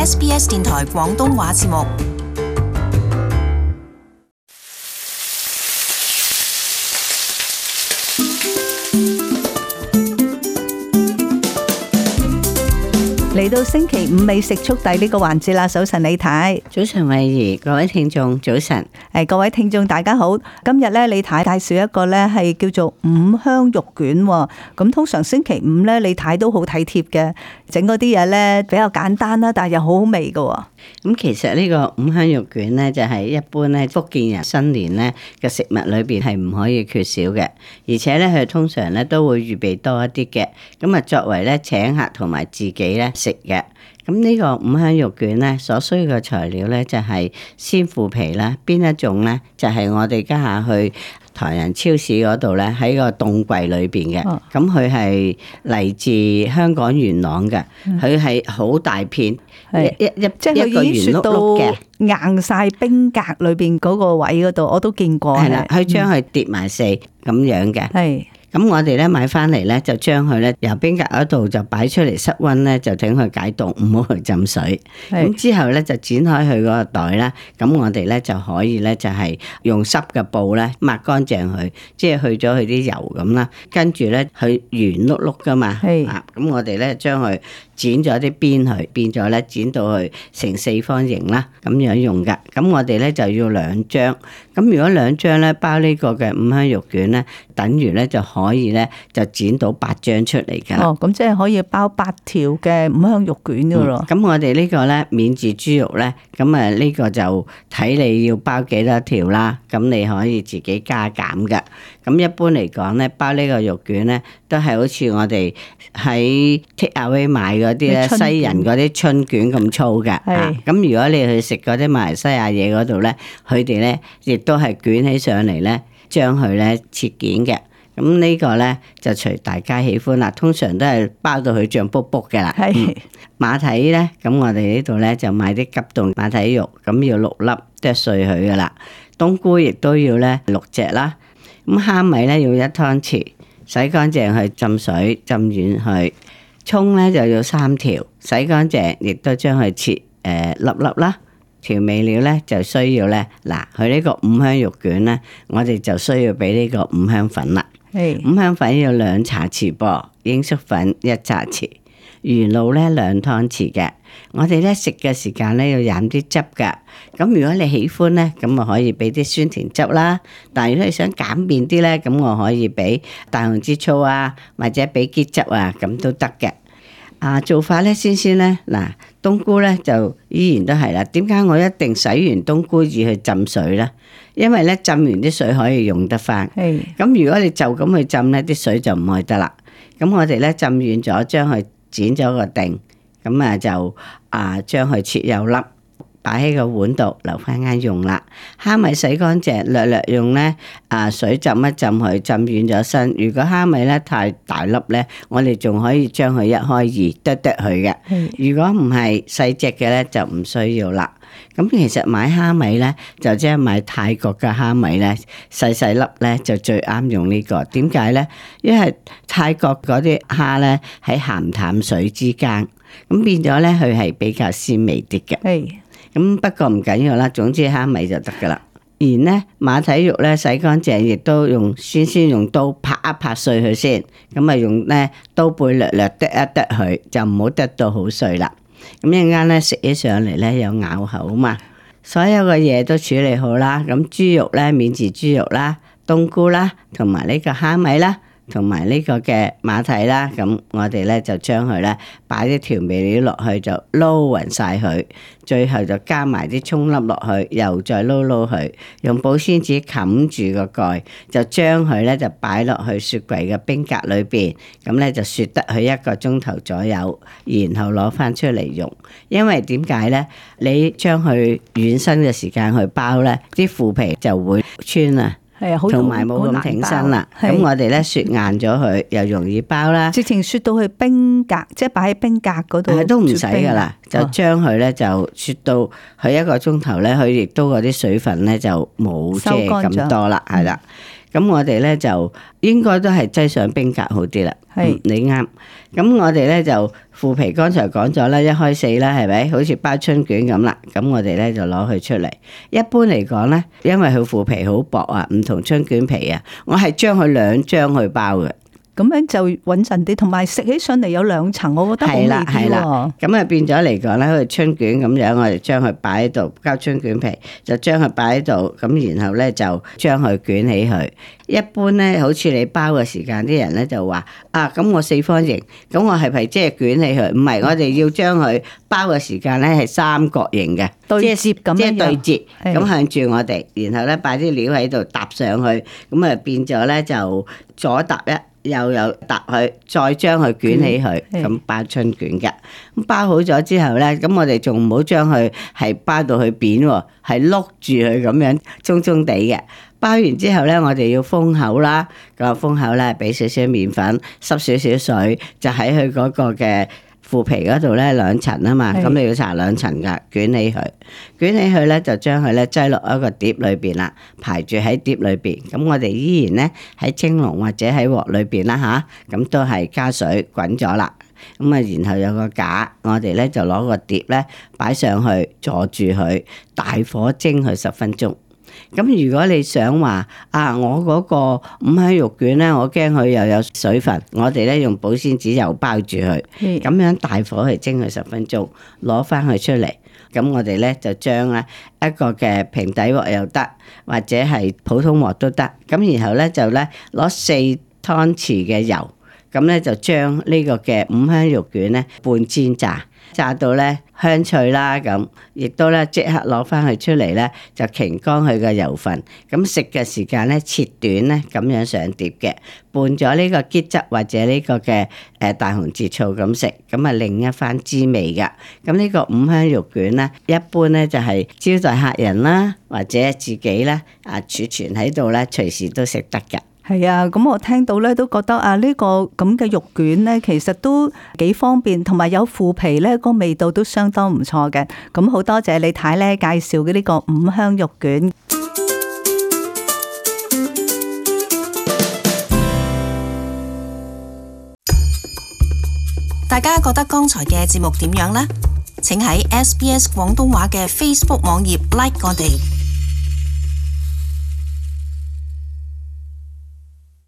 SBS 電台廣東話節目。嚟到星期五美食速遞呢個環節啦，早晨李太，早晨慧怡，各位聽眾早晨。各位聽眾大家好。今日咧李太介紹一個咧係叫做五香肉卷。咁通常星期五咧李太都好體貼嘅，整嗰啲嘢咧比較簡單啦，但係又好好味噶。咁其實呢個五香肉卷咧就係一般咧福建人新年咧嘅食物裏邊係唔可以缺少嘅，而且咧佢通常咧都會預備多一啲嘅，咁啊作為咧請客同埋自己咧食嘅。咁呢個五香肉卷咧所需要嘅材料咧就係鮮腐皮啦，邊一種咧就係我哋家下去台人超市嗰度咧喺個凍櫃裏邊嘅，咁佢係嚟自香港元朗嘅，佢係好大片，即係佢已經雪到硬晒冰格裏邊嗰個位嗰度，我都見過。係啦，佢將佢疊埋四咁樣嘅。係。咁我哋咧買翻嚟咧，就將佢咧由冰格嗰度就擺出嚟室溫咧，就等佢解凍，唔好去浸水。咁之後咧就剪開佢嗰個袋啦。咁我哋咧就可以咧就係用濕嘅布咧抹乾淨佢，即係去咗佢啲油咁啦。跟住咧佢圓碌碌噶嘛，咁我哋咧將佢剪咗啲邊去，變咗咧剪到去成四方形啦，咁樣用噶。咁我哋咧就要2張。咁如果2張咧包呢個嘅五香肉卷咧，等於咧就可以咧就剪到8張出嚟噶。咁即係可以包8條嘅五香肉卷噶咯。咁我哋呢個咧免治豬肉咧，咁啊呢個就睇你要包幾多條啦。咁你可以自己加減噶。咁一般嚟講咧，包呢個肉卷咧，都係好似我哋喺 take away 買嗰啲咧西人嗰啲春卷咁粗㗎。咁如果你去食嗰啲馬來西亞嘢嗰度咧，佢哋咧亦都係捲起上嚟咧，將佢咧切件嘅。咁呢個咧就隨大家喜歡啦。通常都係包到佢脹卜卜嘅啦。馬蹄咧，咁我哋呢度咧就買啲急凍馬蹄肉，咁要6粒剁碎佢噶啦。冬菇亦都要咧6隻啦。咁蝦米咧要1湯匙，洗乾淨去浸水浸軟佢。蔥咧就要3條，洗乾淨亦都將佢切粒粒啦。調味料咧就需要咧，嗱佢呢個五香肉卷咧，我哋就需要俾呢個五香粉啦。五香粉要2茶匙噃，鷹粟粉1茶匙，魚露咧2湯匙嘅。我哋咧食嘅時間咧要飲啲汁噶。咁如果你喜歡咧，咁我可以俾啲酸甜汁啦。但係如果你想簡便啲咧，咁我可以俾大紅枝醋啊，或者俾桔汁啊，咁都得嘅。做法咧先咧，嗱冬菇咧就依然都係啦。點解我一定洗完冬菇要去浸水咧？因為咧浸完啲水可以用得翻。咁如果你就咁去浸咧，啲水就唔去得啦。咁我哋咧浸軟咗，將佢剪咗個定，咁啊就將佢切幼粒，擺喺個碗度留翻間用啦。蝦米洗乾淨，略用咧水浸一浸佢，浸軟咗身。如果蝦米咧太大粒咧，我哋仲可以將佢1開2剁佢嘅。如果唔係細隻嘅咧，就唔需要啦。咁其實買蝦米咧，就即係買泰國嘅蝦米咧，細粒咧就最啱用呢個。點解咧？因為泰國嗰啲蝦咧喺鹹淡水之間，咁變咗咧佢係比較鮮味啲嘅。咁不過唔緊要啦，總之蝦米就得噶啦。然咧馬蹄肉咧洗乾淨，亦都先用刀拍一拍碎佢先。咁啊用咧刀背略剁一剁佢，就唔好剁到好碎啦。咁一陣間咧食起上嚟咧有咬口嘛。所有嘅嘢都處理好啦。咁豬肉咧免治豬肉啦、冬菇啦，同埋呢個蝦米啦，同埋呢個嘅馬蹄啦。咁我哋咧就將佢咧擺啲調味料落去，就撈勻晒佢。最後就加埋啲蔥粒落去，又再撈佢，用保鮮紙冚住個蓋，就將佢咧就擺落去雪櫃嘅冰格裏邊。咁咧就雪得佢1個鐘頭左右，然後攞翻出嚟用。因為點解咧？你將佢軟身嘅時間去包咧，啲腐皮就會穿啊。同埋冇咁挺身啦。咁我哋咧雪硬咗佢，又容易包啦。直情雪到去冰格，即係擺喺冰格嗰度。都唔使噶啦，就將佢咧就雪到佢1個鐘頭咧，佢亦都嗰啲水分咧就冇即係咁多啦，係啦。咁我哋咧就應該都係擠上冰格好啲啦。係你啱。咁我哋咧就腐皮，剛才講咗啦，1開4啦，係咪？好似包春卷咁啦。咁我哋咧就攞佢出嚟。一般嚟講咧，因為佢腐皮好薄啊，唔同春卷皮啊，我係將佢2張去包嘅。咁樣就穩陣啲，同埋食起上嚟有2層，我覺得好味啲喎。咁啊變咗嚟講咧，好似春卷咁樣，我哋將佢擺喺度，包春卷皮就將佢擺喺度，咁然後咧就將佢捲起佢。一般咧，好似你包嘅時間，啲人咧就話啊，咁我4方形，咁我係咪即係捲起佢？唔係，我哋要將佢包嘅時間咧係三角形嘅，對接咁樣，即係對接，係咁向住我哋，然後咧擺啲料喺度搭上去，咁啊變咗咧就左搭一。又搭佢，再將佢捲起佢，咁包春卷嘅。咁包好咗之後咧，咁我哋仲唔好將佢係包到佢扁喎，係碌住佢咁樣鬆鬆地嘅。包完之後咧，我哋要封口啦。個封口咧，俾少少麵粉，濕少少水，就喺佢嗰個嘅腐皮嗰度咧2層啊嘛。咁你要搽2層噶，捲起佢，捲起佢咧就將佢咧擠落一個碟裏邊啦，排住喺碟裏邊。咁我哋依然咧喺蒸籠或者喺鑊裏邊啦吓，咁都係加水滾咗啦。咁啊，然後有個架，我哋咧就攞個碟咧擺上去，坐住佢，大火蒸佢10分鐘。咁如果你想話啊，我嗰個五香肉卷咧，我驚佢又有水分，我哋咧用保鮮紙又包住佢，咁樣大火去蒸佢10分鐘，攞翻佢出嚟。咁我哋咧就將咧一個嘅平底鑊又得，或者係普通鑊都得。咁然後咧就咧攞4湯匙嘅油，咁咧就將呢個嘅五香肉卷咧半煎炸。炸到咧香脆啦，咁亦都咧即刻攞翻佢出嚟咧，就擎乾佢嘅油分。咁食嘅時間咧切短咧，咁樣上碟嘅，拌咗呢個桔汁或者呢個嘅大紅浙醋咁食，咁啊另一番滋味噶。咁呢個五香肉卷咧，一般咧就係招待客人啦，或者自己咧儲存喺度咧，隨時都食得噶。係啊，咁我聽到咧都覺得啊，呢個咁嘅肉卷咧，其實都幾方便，同埋有腐皮咧，個味道都相當唔錯嘅。咁好多謝李太咧介紹嘅呢個五香肉卷。大家覺得剛才嘅節目點樣呢？請喺SBS 廣東話嘅 Facebook 網頁 like 我哋。